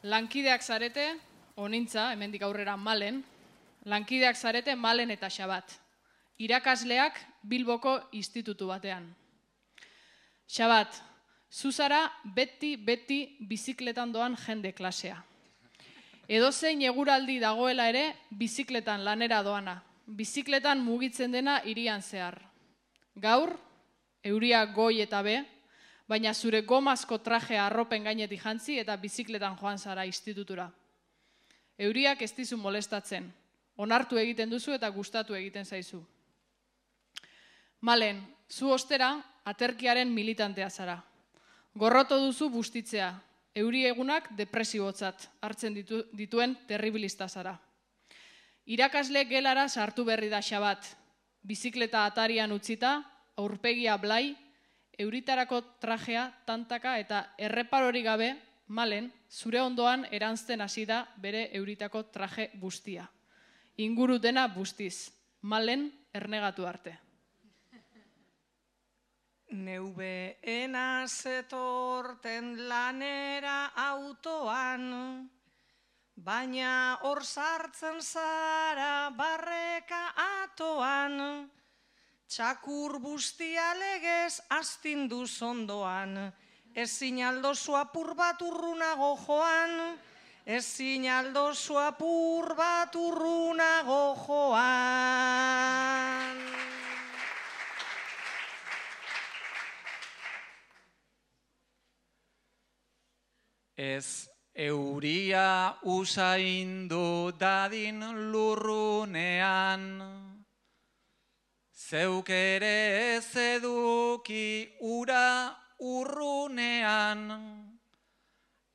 Lankideak zarete, onintza, hemendik aurrera Malen, lankideak zarete Malen eta Xabat. Irakasleak Bilboko institutu batean. Xabat, zuzara beti bizikletan doan jende klasea. Edozein eguraldi dagoela ere, bizikletan lanera doana. Bizikletan mugitzen dena hirian zehar. Gaur, euria goi eta be, baina zure gomazko trajea arropen gainetik jantzi eta bizikletan joan zara institutura. Euriak ez dizu molestatzen, onartu egiten duzu eta gustatu egiten zaizu. Malen, zu ostera aterkiaren militantea zara. Gorroto duzu bustitzea, euri egunak depresibotzat hartzen dituen terribilista zara. Irakasle gelara sartu berri da Xabat, bizikleta atarian utzita, aurpegia blai, euritarako trajea, tantaka eta erreparori gabe, Malen, zure ondoan eranzten hasi da bere euritako traje bustia. Inguru dena bustiz, Malen ernegatu arte. Neubeena zetorten lanera autoan, baina hor sartzen zara barreka atoan, txakur bustia legez astindu zondoan, ezin aldozu apur bat urrunago joan, ezin aldozu apur bat urrunago joan. Ez euria usaindu dadin lurrunean, zeuk ere ez eduki ura urrunean,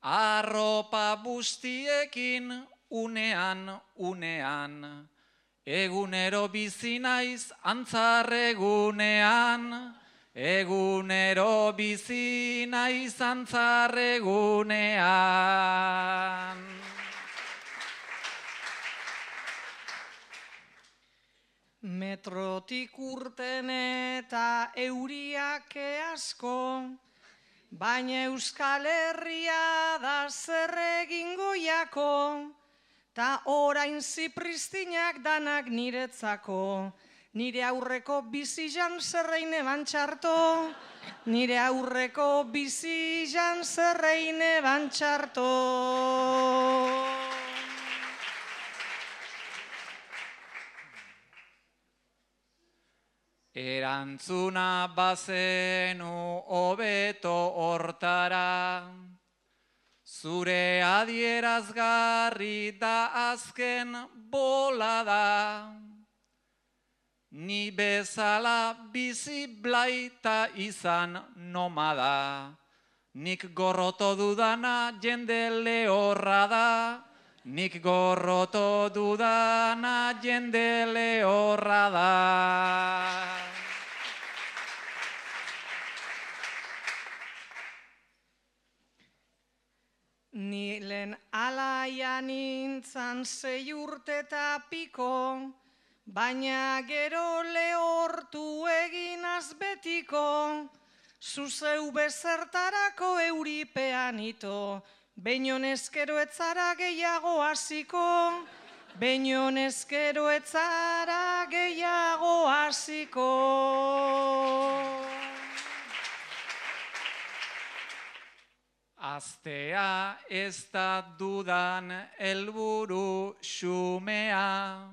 arropa bustiekin unean, egunero bizi naiz antzarregunean, egunero bizi naiz antzarregunean. Metrotik urten eta euriak asko, baina Euskal Herria da zer egingo jako, ta orain zipristinak danak niretzako, nire aurreko bizizan zerreine bantxarto, nire aurreko bizizan zerreine bantxarto. Erantzuna bazenu hobeto hortara, zure adierazgarri da azken bolada. Ni bezala bizi blaita izan nomada, nik gorroto dudana jende lehorra da, nik gorroto dudana jende lehorra da. Ni lehen alaia nintzan 6 urte eta piko, baina gero lehortu eginaz betiko, zuzeu bezertarako euripean ito, behinon ezkero etzara gehiago hasiko, behinon ezkero etzara gehiago hasiko. Aztea ez da dudan helburu xumea,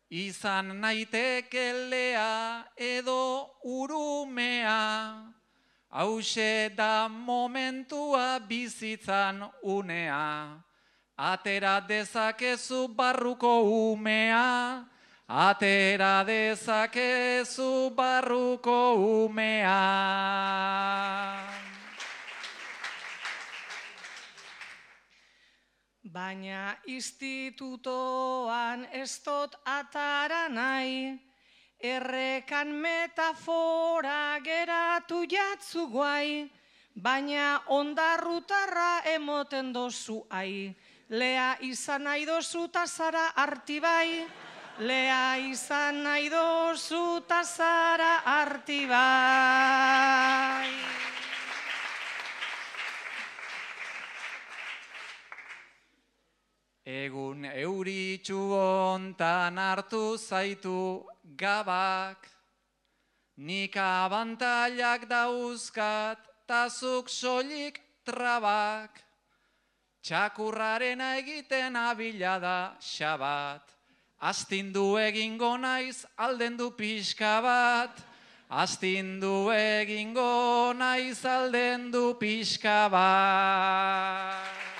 izan naiteke lea edo urumea, hauxe da momentua bizitzan unea, atera dezakezu barruko umea, atera dezakezu barruko umea. Baina institutoan ez dut atara nahi, errekan metafora geratu jatzu guai, baina ondarrutarra emoten dozu ai, lea izan nahi dozu ta zara artibai, lea izan nahi dozu ta zara artibai. Egun euritxu hontan hartu zaitu gabak, nik abantailak dauzkat, tazuk soilik trabak, txakurrarena egiten abila da Xabat, astindu egingo naiz aldendu pixka bat, astindu egingo naiz aldendu pixka bat.